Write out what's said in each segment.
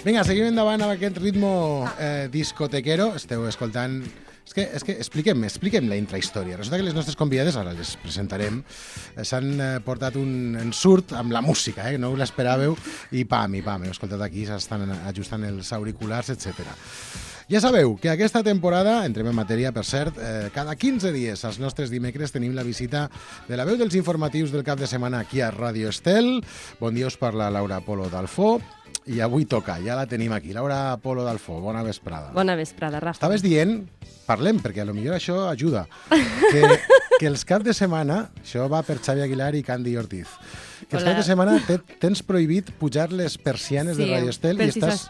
Vinga, seguim endavant amb aquest ritmo discotequero. Esteu escoltant... És que expliquem la intrahistòria. Resulta que les nostres convidades, ara les presentarem, s'han portat un ensurt amb la música, no us l'esperàveu, i pam, heu escoltat aquí, s'estan ajustant els auriculars, etc. Ja sabeu que aquesta temporada, entrem en matèria, per cert, cada 15 dies, als nostres dimecres, tenim la visita de la veu dels informatius del cap de setmana aquí a Ràdio Estel. Bon dia, us parla Laura Polo Dalfó. I avui toca, ja la tenim aquí. Laura Polo Dalfó, bona vesprada. Bona vesprada, Rafa. Estaves dient, parlem, perquè potser això ajuda, que els caps de setmana, això va per Xavi Aguilar i Candy Ortiz, que els caps de setmana tens prohibit pujar les persianes de Radio Estel i estàs...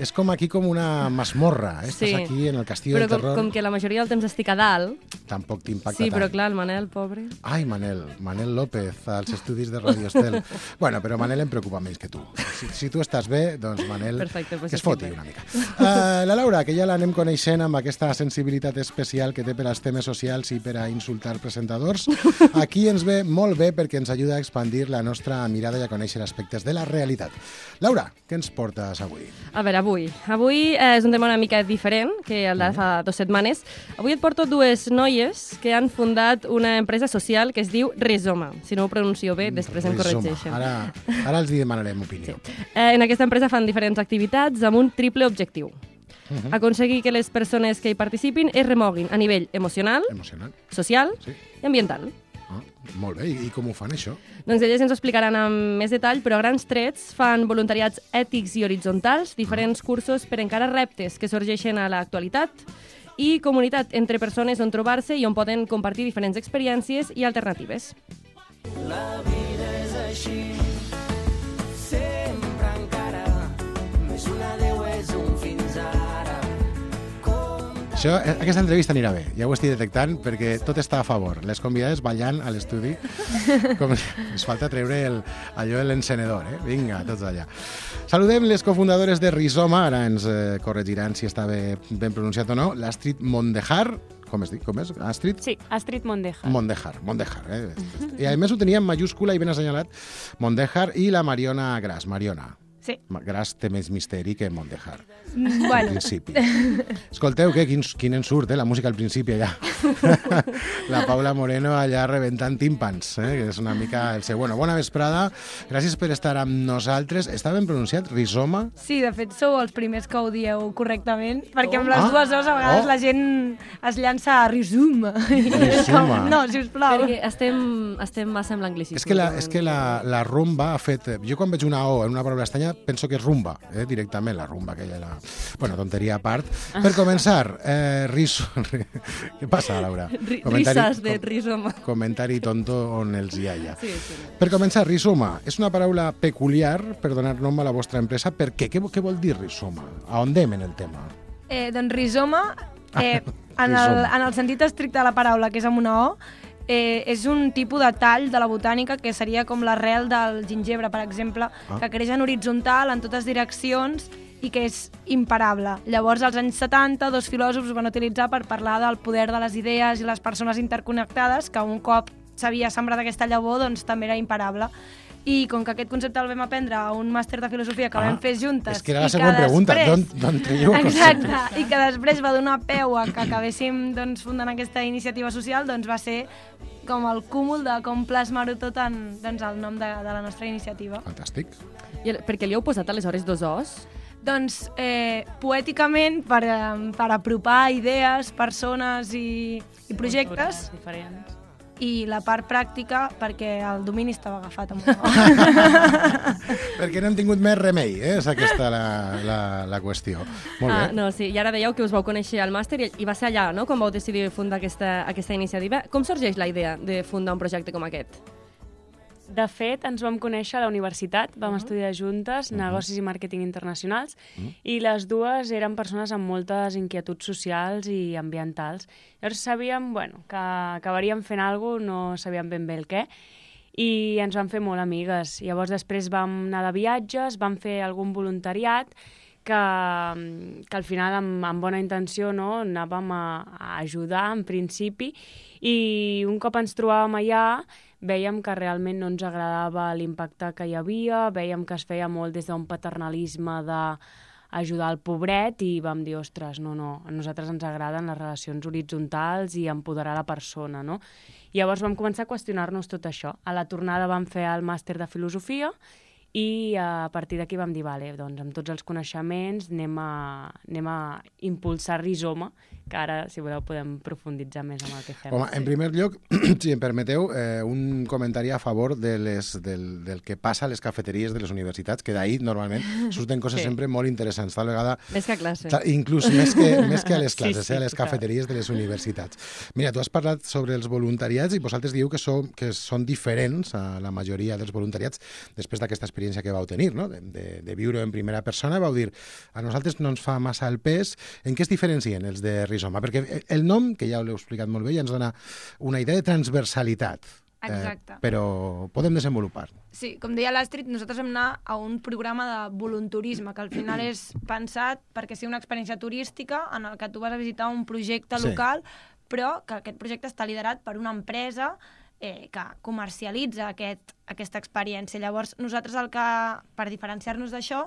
És com aquí com una masmorra, estàs aquí en el castillo del terror. Però com que la majoria del temps estic a dalt... Tampoc t'impacta tant. Sí, però clar, el Manel, pobre... Ai, Manel López, als estudis de Radio Estel. Bueno, però Manel em preocupa menys que tu. Si tu estàs bé, doncs Manel, que es foti una mica. La Laura, que ja l'anem coneixent amb aquesta sensibilitat especial que té per als temes socials i per a insultar presentadors, aquí ens ve molt bé perquè ens ajuda a expandir la nostra mirada i a conèixer aspectes de la realitat. Laura, què ens portes avui? A veure, avui és un tema una mica diferent que el de fa 2 setmanes. Avui et porto 2 noies que han fundat una empresa social que es diu Rizoma. Si no ho pronuncio bé, després em corregeixen. Ara els demanarem opinió. Sí. En aquesta empresa fan diferents activitats amb un triple objectiu. Aconseguir que les persones que hi participin es remoguin a nivell emocional, social i ambiental. Molt bé, i com ho fan, això? Doncs elles ens ho explicaran amb més detall, però a grans trets fan voluntariats ètics i horitzontals, diferents cursos per encarar reptes que sorgeixen a l'actualitat i comunitat entre persones on trobar-se i on poden compartir diferents experiències i alternatives. La vida és així, sempre encara, més un adeu és un fins ara. Aquesta entrevista anirà bé, ja ho estic detectant, perquè tot està a favor. Les convidades ballant a l'estudi, com ens falta treure allò de l'encenedor, Vinga, tots allà. Saludem les cofundadores de Rizoma, ara ens corregiran si està ben pronunciat o no, l'Astrid Mondejar. Com és? Astrid? Sí, Astrid Mondejar. Mondejar. I a més ho tenia en majúscula i ben assenyalat, Mondejar, i la Mariona Gras. Mariona. Sí. Gras té més misteri que Mondejar. Bueno. Al principi. Escolteu, quin ensurt, la música al principi allà. La Paula Moreno allà rebentant tímpans, que és una mica el seu... Bueno, bona vesprada, gràcies per estar amb nosaltres. Està ben pronunciat, Rizoma? Sí, de fet sou els primers que ho dieu correctament, perquè amb les dues O's a vegades la gent es llança a Rizoma. No, sisplau. Perquè estem massa amb l'anglicisme. És que la rumba ha fet... Jo quan veig una O en una paraula estanya penso que és rumba, directament, la rumba aquella. Bueno, tonteria a part. Per començar, què passa, Laura? Risas de Rizoma. Comentari tonto on els hi ha. Sí. Per començar, Rizoma és una paraula peculiar per donar nom a la vostra empresa. Per què? Què vol dir Rizoma? A on anem en el tema? Doncs Rizoma, en el sentit estricte de la paraula, que és amb una O, és un tipus de tall de la botànica que seria com l'arrel del gingebre, per exemple, que creix en horitzontal en totes direccions i que és imparable. Llavors, als anys 70, 2 filòsofs ho van utilitzar per parlar del poder de les idees i les persones interconnectades, que un cop s'havia sembrat aquesta llavor, doncs també era imparable. I com que aquest concepte el vam aprendre a un màster de filosofia que vam fer juntes... És que era la següent pregunta, d'on traieu el concepte? Exacte, i que després va donar peu a que acabéssim fundant aquesta iniciativa social, doncs va ser com el cúmul de com plasmar-ho tot en el nom de la nostra iniciativa. Fantàstic. I per què li heu posat aleshores 2 Os? Doncs poèticament per apropar idees, persones i projectes. Diferents. I la part pràctica perquè el domini estava agafat amb una Perquè no hem tingut més remei, és aquesta la qüestió. Molt bé. No, sí, i ara dèieu que us vau conèixer al màster i va ser allà, no?, quan vau decidir fundar aquesta iniciativa. Com sorgeix la idea de fundar un projecte com aquest? De fet, ens vam conèixer a la universitat, vam estudiar juntes negocis i màrqueting internacionals i les dues eren persones amb moltes inquietuds socials i ambientals. Llavors sabíem que acabaríem fent alguna cosa, no sabíem ben bé el què, i ens vam fer molt amigues. Llavors després vam anar de viatges, vam fer algun voluntariat que al final amb bona intenció anàvem a ajudar en principi, i un cop ens trobàvem allà Veiem que realment no ens agradava l'impacte que hi havia, veiem que es feia molt des d'un paternalisme d'ajudar el pobret i vam dir, ostres, no, a nosaltres ens agraden les relacions horitzontals i empoderar la persona, no? I llavors vam començar a qüestionar-nos tot això. A la tornada vam fer el màster de filosofia i a partir d'aquí vam dir, vale, doncs amb tots els coneixements anem a impulsar Rizoma, que ara, si voleu, podem profunditzar més en el que fem. Home, en primer lloc, si em permeteu, un comentari a favor del que passa a les cafeteries de les universitats, que d'ahir normalment surten coses sempre molt interessants. Tal vegada... Més que a classe. Inclús més que a les classes, sí, a les cafeteries de les universitats. Mira, tu has parlat sobre els voluntariats i vosaltres dieu que són diferents a la majoria dels voluntariats després d'aquesta experiència que vau tenir, no? de viure en primera persona. Vau dir, a nosaltres no ens fa massa el pes. En què es diferencien els de Rizoma? Perquè el nom, que ja l'heu explicat molt bé, ja ens dona una idea de transversalitat. Exacte. Però podem desenvolupar. Sí, com deia l'Astrid, nosaltres vam anar a un programa de volunturisme, que al final és pensat perquè sigui una experiència turística en el que tu vas a visitar un projecte local, però que aquest projecte està liderat per una empresa que comercialitza aquesta experiència. Llavors, nosaltres per diferenciar-nos d'això,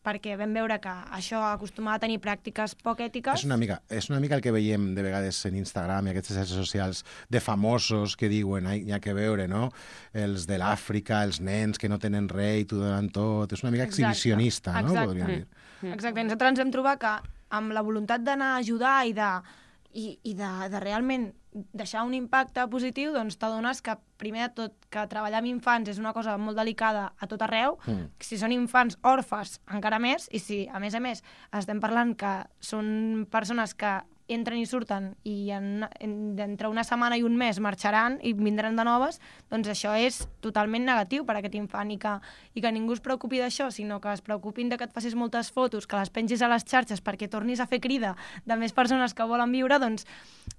perquè vam veure que això acostumava a tenir pràctiques poc ètiques... És una mica el que veiem de vegades en Instagram i aquestes xarxes socials de famosos que diuen hi ha que veure, no? Els de l'Àfrica, els nens que no tenen res i t'ho donen tot. És una mica exhibicionista, no? Podríem dir. Exacte. Nosaltres ens vam trobar que amb la voluntat d'anar a ajudar i de realment deixar un impacte positiu, doncs t'adones que, primer de tot, que treballar amb infants és una cosa molt delicada a tot arreu. Si són infants orfes, encara més, i si, a més, estem parlant que són persones que entren i surten i entre una setmana i un mes marxaran i vindran de noves, doncs això és totalment negatiu per a aquest infant i que ningú es preocupi d'això, sinó que es preocupin de que et facis moltes fotos, que les pengis a les xarxes perquè tornis a fer crida de més persones que volen viure, doncs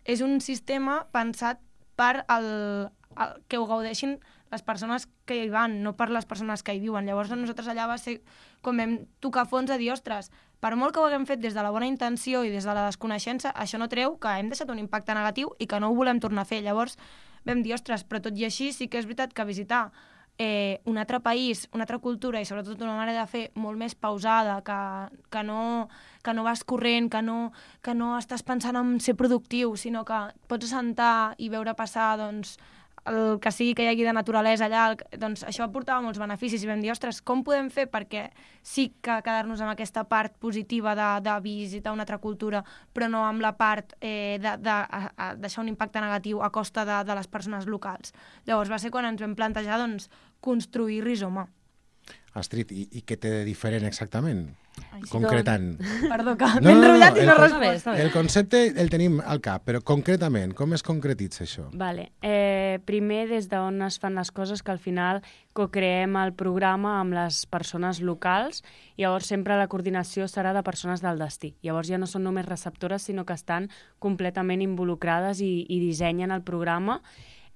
és un sistema pensat per que ho gaudeixin les persones que hi van, no per les persones que hi viuen. Llavors nosaltres allà va ser com vam tocar fons a dir, ostres, per molt que ho haguem fet des de la bona intenció i des de la desconeixença, això no treu que hem deixat un impacte negatiu i que no ho volem tornar a fer. Llavors vam dir, ostres, però tot i així sí que és veritat que visitar un altre país, una altra cultura i sobretot una manera de fer molt més pausada, que no vas corrent, que no estàs pensant en ser productiu, sinó que pots assentar i veure passar doncs, el que sigui que hi hagi de naturalesa allà, doncs això aportava molts beneficis i vam dir, ostres, com podem fer perquè sí que quedar-nos amb aquesta part positiva de visitar una altra cultura, però no amb la part de deixar un impacte negatiu a costa de les persones locals. Llavors va ser quan ens vam plantejar doncs, construir Rizoma. Astrid, i què té de diferent exactament? Concretant. Perdó, que m'he enrotllat i no respost. El concepte el tenim al cap, però concretament, com es concretitza això? Vale. Primer, des d'on es fan les coses, que al final co-creem el programa amb les persones locals, i llavors sempre la coordinació serà de persones del destí. Llavors ja no són només receptores, sinó que estan completament involucrades i dissenyen el programa.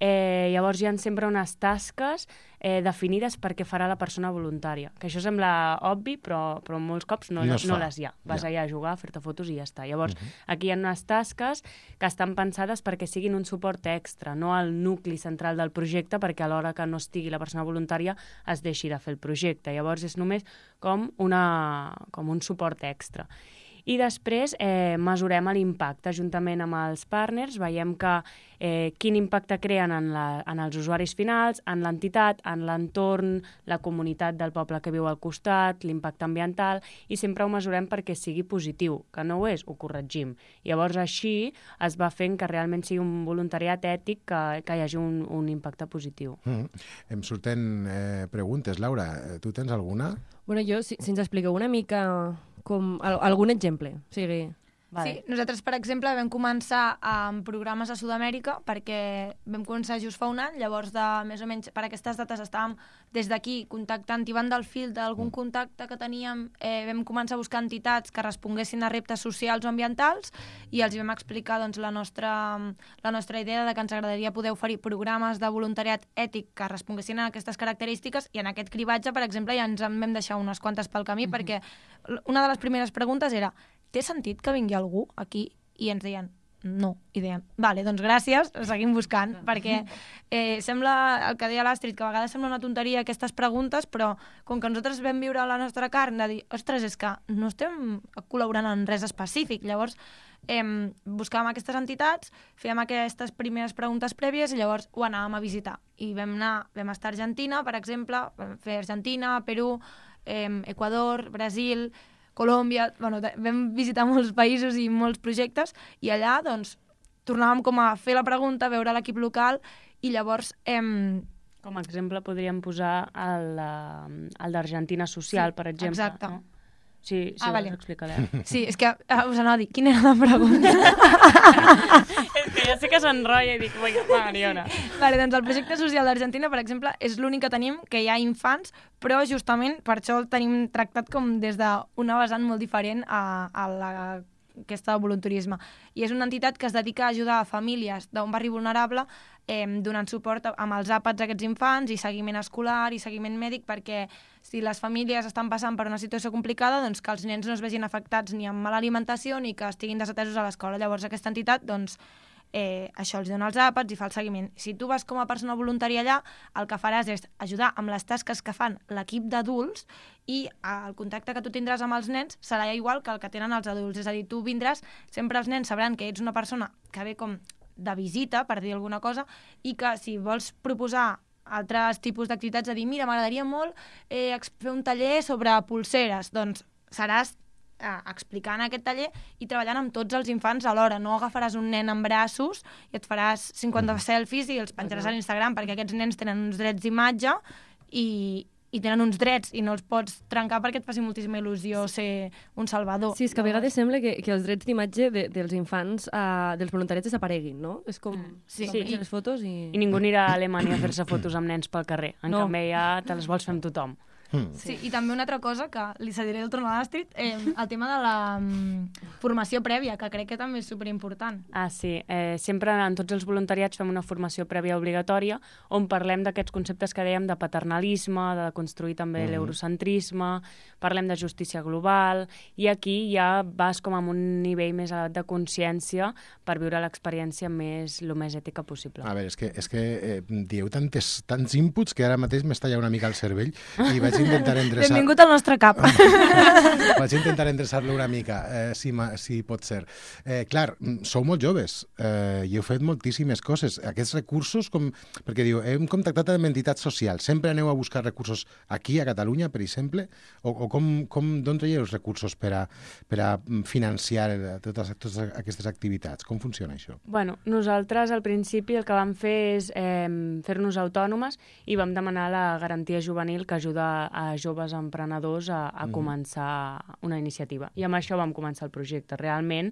Llavors hi ha sempre unes tasques definides per què farà la persona voluntària. Que això sembla obvi, però molts cops no les hi ha. Vas allà a jugar, a fer-te fotos i ja està. Llavors, aquí hi ha unes tasques que estan pensades perquè siguin un suport extra, no al nucli central del projecte, perquè a l'hora que no estigui la persona voluntària es deixi de fer el projecte. Llavors és només com un suport extra. I després mesurem l'impacte juntament amb els partners, veiem quin impacte creen en els usuaris finals, en l'entitat, en l'entorn, la comunitat del poble que viu al costat, l'impacte ambiental, i sempre ho mesurem perquè sigui positiu, que no ho és, ho corregim. Llavors així es va fent que realment sigui un voluntariat ètic que hi hagi un impacte positiu. Em surten preguntes. Laura, tu tens alguna? Bueno, jo, si ens expliqueu una mica com algun exemple, o sigui... Vale. Sí, nosaltres, per exemple, vam començar amb programes a Sud-amèrica perquè vam començar just fa un any, llavors més o menys per aquestes dates estàvem des d'aquí contactant i van del fil d'algun contacte que teníem, vam començar a buscar entitats que responguessin a reptes socials o ambientals i els vam explicar doncs, la nostra idea de que ens agradaria poder oferir programes de voluntariat ètic que responguessin a aquestes característiques, i en aquest cribatge, per exemple, ja ens en vam deixar unes quantes pel camí perquè una de les primeres preguntes era: té sentit que vingui algú aquí? I ens deien, no. I dèiem, vale, doncs gràcies, seguim buscant, perquè sembla, el que deia l'Astrid, que a vegades sembla una tonteria aquestes preguntes, però com que nosaltres vam viure la nostra carn, de dir, ostres, és que no estem col·laborant en res específic, llavors buscàvem aquestes entitats, fèiem aquestes primeres preguntes prèvies i llavors ho anàvem a visitar. I vam estar a Argentina, per exemple, vam fer Argentina, Perú, Equador, Brasil, Colòmbia, vam visitar molts països i molts projectes i allà doncs tornàvem com a fer la pregunta, veure l'equip local i llavors... Com a exemple podríem posar el d'Argentina Social, per exemple. Exacte. No? Sí, vale. Vols explicar-ho. Sí, és que us anava a dir, quina era la pregunta? És que ja sé que s'enrotlla i dic, Mariona. Vale, doncs el projecte social d'Argentina, per exemple, és l'únic que tenim que hi ha infants, però justament per això el tenim tractat com des d'una vessant molt diferent a aquesta voluntarisme. I és una entitat que es dedica a ajudar a famílies d'un barri vulnerable donant suport amb els àpats a aquests infants i seguiment escolar i seguiment mèdic perquè si les famílies estan passant per una situació complicada, doncs que els nens no es vegin afectats ni amb mala alimentació ni que estiguin desatesos a l'escola. Llavors aquesta entitat, doncs, això els dona els àpats i fa el seguiment. Si tu vas com a persona voluntària allà, el que faràs és ajudar amb les tasques que fan l'equip d'adults i el contacte que tu tindràs amb els nens serà igual que el que tenen els adults. És a dir, tu vindràs, sempre els nens sabran que ets una persona que ve com de visita, per dir alguna cosa, i que si vols proposar altres tipus d'activitats, de dir, mira, m'agradaria molt fer un taller sobre pulseres, doncs seràs explicant aquest taller i treballant amb tots els infants alhora. No agafaràs un nen en braços i et faràs 50 selfies i els penjaràs a l'Instagram, perquè aquests nens tenen uns drets d'imatge i tenen uns drets i no els pots trencar perquè et faci moltíssima il·lusió ser un salvador. Sí, és que a vegades sembla que els drets d'imatge dels infants, dels voluntarets, desapareguin, no? És com... Sí. Les fotos i... I ningú anirà a Alemanya a fer-se fotos amb nens pel carrer. En canvi, ja te les vols fer amb tothom. Sí, i també una altra cosa que li cediré el torn a l'Astrid, el tema de la formació prèvia, que crec que també és superimportant. Sí. Sempre en tots els voluntariats fem una formació prèvia obligatòria on parlem d'aquests conceptes que dèiem de paternalisme, de construir també l'eurocentrisme, parlem de justícia global, i aquí ja vas com amb un nivell més elevat de consciència per viure l'experiència el més ètica possible. A veure, és que dieu tants inputs que ara mateix m'estalla una mica el cervell i vaig intentar endreçar... Benvingut al nostre cap. Vaig intentar endreçar-lo una mica, si pot ser. Clar, sou molt joves i heu fet moltíssimes coses. Aquests recursos, perquè diu, hem contactat amb entitats socials, sempre aneu a buscar recursos aquí, a Catalunya, per exemple, o d'on traieu els recursos per a financiar totes aquestes activitats? Com funciona això? Bueno, nosaltres al principi el que vam fer és fer-nos autònomes i vam demanar la garantia juvenil que ajuda a joves emprenedors a començar una iniciativa. I amb això vam començar el projecte. Realment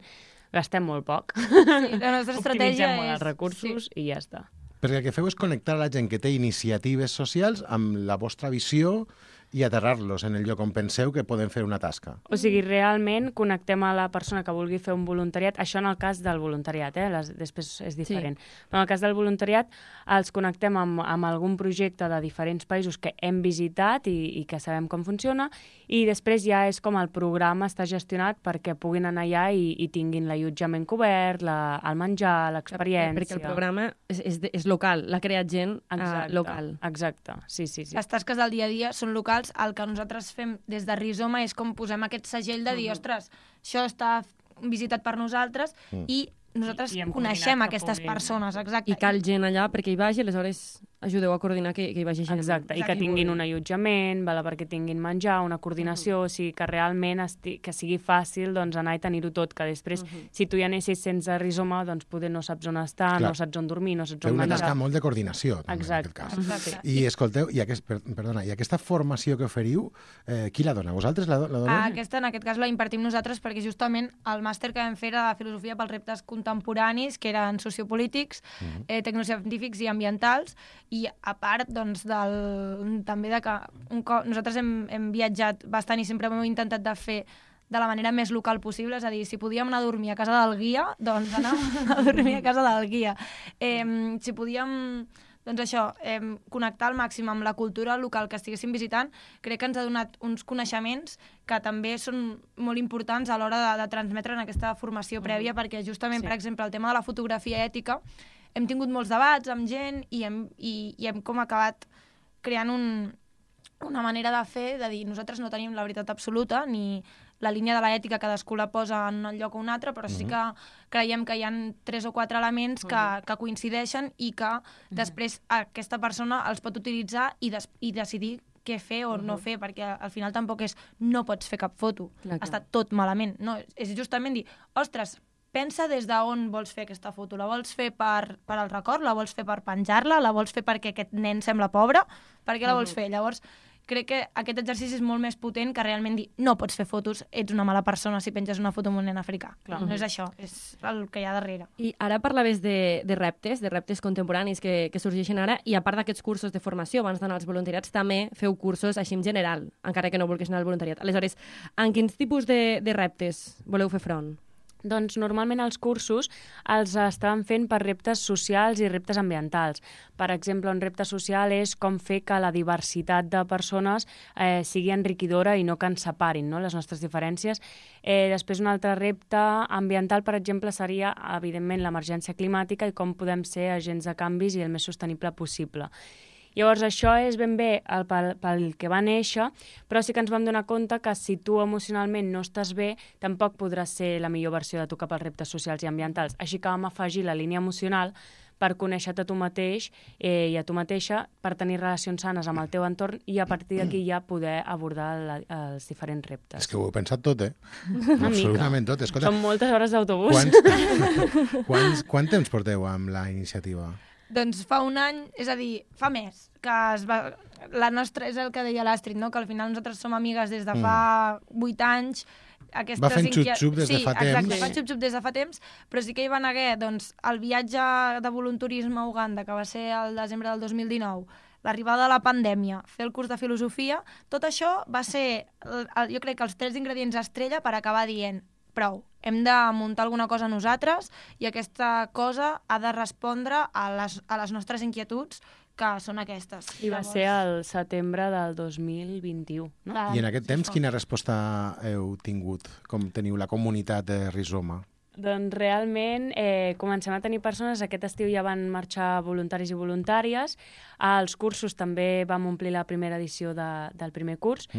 gastem molt poc. Sí, la nostra estratègia molt els recursos i ja està. Perquè el que feu és connectar la gent que té iniciatives socials amb la vostra visió i aterrar-los en el lloc on penseu que poden fer una tasca. O sigui, realment connectem a la persona que vulgui fer un voluntariat, això en el cas del voluntariat, després és diferent. Sí. Però en el cas del voluntariat els connectem amb algun projecte de diferents països que hem visitat i que sabem com funciona, i després ja és com el programa està gestionat perquè puguin anar allà i tinguin l'allotjament cobert, el menjar, l'experiència... Perquè el programa és local, l'ha creat gent local. Exacte, sí. Les tasques del dia a dia són locals. El que nosaltres fem des de Rizoma és com posem aquest segell de dir, ostres, això està visitat per nosaltres i nosaltres coneixem aquestes persones, exacte. I cal gent allà perquè hi vagi, aleshores ajudeu a coordinar que hi vagi gent. Exacte, i que tinguin un allotjament, perquè tinguin menjar, una coordinació, o sigui que realment que sigui fàcil anar i tenir-ho tot, que després, si tu ja anessis sense Rizoma, doncs poder no saps on estar, no saps on dormir, no saps on menjar. Feu una tasca molt de coordinació, també, en aquest cas. Exacte. I escolteu, i aquesta formació que oferiu, qui la dona? Vosaltres la doneu? Aquesta, en aquest cas, la impartim nosaltres perquè justament el màster que vam fer era de filosofia pels reptes contemporanis, que eren sociopolítics, tecnocientífics i ambientals, i a part doncs, també de que nosaltres hem viatjat bastant i sempre hem intentat de fer de la manera més local possible, és a dir, si podíem anar a dormir a casa del guia, doncs anàvem a dormir a casa del guia. Si podíem doncs això, connectar al màxim amb la cultura local que estiguéssim visitant, crec que ens ha donat uns coneixements que també són molt importants a l'hora de transmetre en aquesta formació prèvia, perquè justament, per exemple, el tema de la fotografia ètica, hem tingut molts debats amb gent i hem com acabat creant una manera de fer, de dir, nosaltres no tenim la veritat absoluta, ni la línia de l'ètica cadascú la posa en un lloc o un altre, però sí que creiem que hi ha 3 o 4 elements que coincideixen i que després aquesta persona els pot utilitzar i decidir què fer o no fer, perquè al final tampoc és no pots fer cap foto, està tot malament. No, és justament dir, ostres, pensa des d'on vols fer aquesta foto. La vols fer per al record? La vols fer per penjar-la? La vols fer perquè aquest nen sembla pobre? Per què la vols fer? Llavors, crec que aquest exercici és molt més potent que realment dir no pots fer fotos, ets una mala persona si penges una foto amb un nen africà. Clar, no és això, és el que hi ha darrere. I ara parlaves de reptes contemporanis que sorgeixen ara, i a part d'aquests cursos de formació, abans d'anar als voluntariats, també feu cursos així en general, encara que no vulguis anar al voluntariat. Aleshores, en quins tipus de reptes voleu fer front? Doncs normalment els cursos els estaven fent per reptes socials i reptes ambientals. Per exemple, un repte social és com fer que la diversitat de persones sigui enriquidora i no que ens separin, no?, les nostres diferències. Després un altre repte ambiental, per exemple, seria, evidentment, l'emergència climàtica i com podem ser agents de canvis i el més sostenible possible. Llavors, això és ben bé pel que va néixer, però sí que ens vam donar compte que si tu emocionalment no estàs bé, tampoc podràs ser la millor versió de tu cap als reptes socials i ambientals. Així que vam afegir la línia emocional per conèixer-te a tu mateix i a tu mateixa, per tenir relacions sanes amb el teu entorn i a partir d'aquí ja poder abordar els diferents reptes. És que ho heu pensat tot, eh? Una absolutament mica. tot. Escolta, Són moltes hores d'autobús. Quant temps porteu amb la iniciativa? Doncs fa un any, és a dir, fa més, que la nostra, és el que deia l'Astrid, no? Que al final nosaltres som amigues des de fa 8 anys. Va fent xup-xup des de fa temps. Sí, exacte, fa xup-xup des de fa temps, però sí que hi van haver el viatge de voluntarisme a Uganda, que va ser el desembre del 2019, l'arribada de la pandèmia, fer el curs de filosofia, tot això va ser, jo crec que els 3 ingredients estrella per acabar dient prou, hem de muntar alguna cosa nosaltres i aquesta cosa ha de respondre a les nostres inquietuds, que són aquestes. I va ser el setembre del 2021, no? Clar, I en aquest temps, quina resposta heu tingut? Com teniu la comunitat de Rizoma? Doncs realment comencem a tenir persones. Aquest estiu ja van marxar voluntaris i voluntàries. Als cursos també vam omplir la primera edició del primer curs.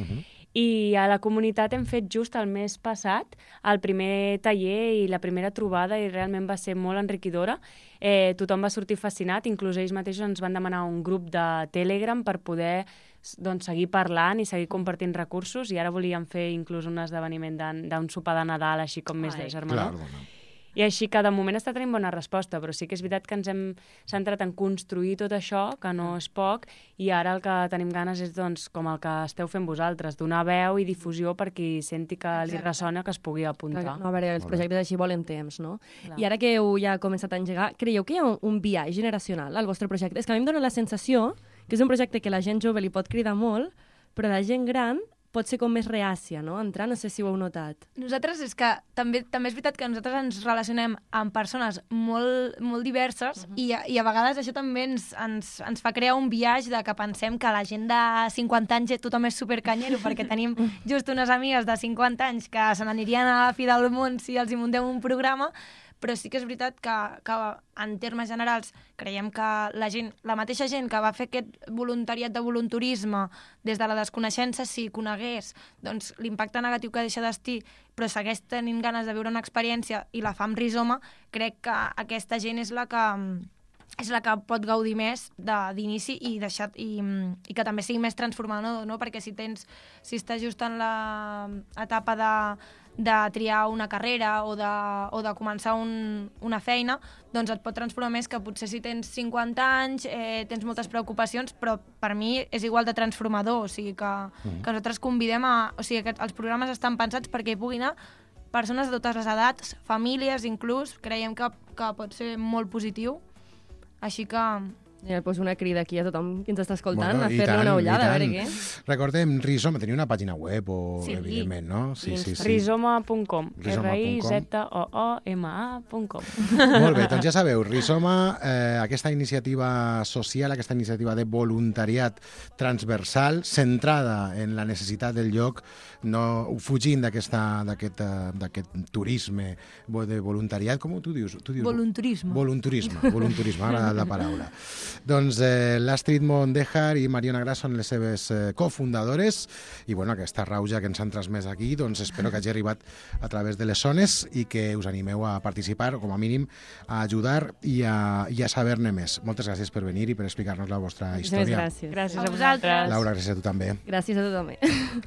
I a la comunitat hem fet just el mes passat el primer taller i la primera trobada i realment va ser molt enriquidora. Tothom va sortir fascinat, inclús ells mateixos ens van demanar un grup de Telegram per poder seguir parlant i seguir compartint recursos, i ara volíem fer inclús un esdeveniment d'un sopar de Nadal així com més de germanor. I així que de moment està tenint bona resposta, però sí que és veritat que ens hem centrat en construir tot això, que no és poc, i ara el que tenim ganes és, doncs, com el que esteu fent vosaltres, donar veu i difusió per qui senti que li ressona, que es pugui apuntar. No, a veure, els projectes així volen temps, no? Clar. I ara que heu ja començat a engegar, creieu que hi ha un biaix generacional al vostre projecte? És que a mi em dóna la sensació que és un projecte que la gent jove li pot cridar molt, però la gent gran pot ser com més reàcia, no? Entrar, no sé si ho heu notat. Nosaltres és que també és veritat que nosaltres ens relacionem amb persones molt, molt diverses i a vegades això també ens fa crear un biaix de que pensem que la gent de 50 anys tothom és supercanyero perquè tenim just unes amigues de 50 anys que se n'anirien a la fi del món si els hi muntem un programa, però sí que és veritat que en termes generals creiem que la mateixa gent que va fer aquest voluntariat de voluntarisme des de la desconeixença, si conegués doncs, l'impacte negatiu que deixa d'estir, però segueix tenint ganes de viure una experiència i la fa amb Rizoma, crec que aquesta gent és la que pot gaudir més d'inici i que també sigui més transformador, no? Perquè si estàs just en l'etapa de triar una carrera o de començar una feina, doncs et pot transformar més que potser si tens 50 anys, tens moltes preocupacions, però per mi és igual de transformador, o sigui que nosaltres convidem o sigui que els programes estan pensats perquè hi puguin anar persones de totes les edats, famílies inclús, creiem que pot ser molt positiu. Així que Pues una crida aquí a tothom que ens està escoltant Bueno, a i fer-li tant, una i ullada, a tant. veure què. Recordem, Rizoma tenia una pàgina web, Sí. evidentment, no? Sí. Rizoma.com. Rizoma.com. RIZOOMA.com. Molt bé, doncs ja sabeu, Rizoma, aquesta iniciativa social, aquesta iniciativa de voluntariat transversal, centrada en la necessitat del lloc, no fugint d'aquest turisme de voluntariat, com tu dius? Volunturisme. Volunturisme, m'ha agradat la paraula. Doncs l'Astrid Mondejar i Mariona Gras són les seves cofundadores i bueno, aquesta rauja que ens han transmès aquí, doncs espero que hagi arribat a través de les zones i que us animeu a participar, o com a mínim a ajudar i a saber-ne més. Moltes gràcies per venir i per explicar-nos la vostra història. Gràcies. Gràcies a vosaltres. Laura, gràcies a tu també. Gràcies a tothom.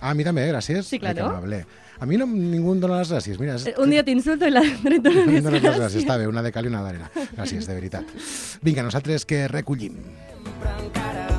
A mi també, gràcies. Sí, claro. Ai, que amable. A mi no, ningú em dona les gràcies. Mira, Un dia t'insulto i l'altre et dono em les dones les gràcies. gràcies. Està bé, una de cal i una d'arena. Gràcies, de veritat. Vinga, nosaltres que recollim. Sempre encara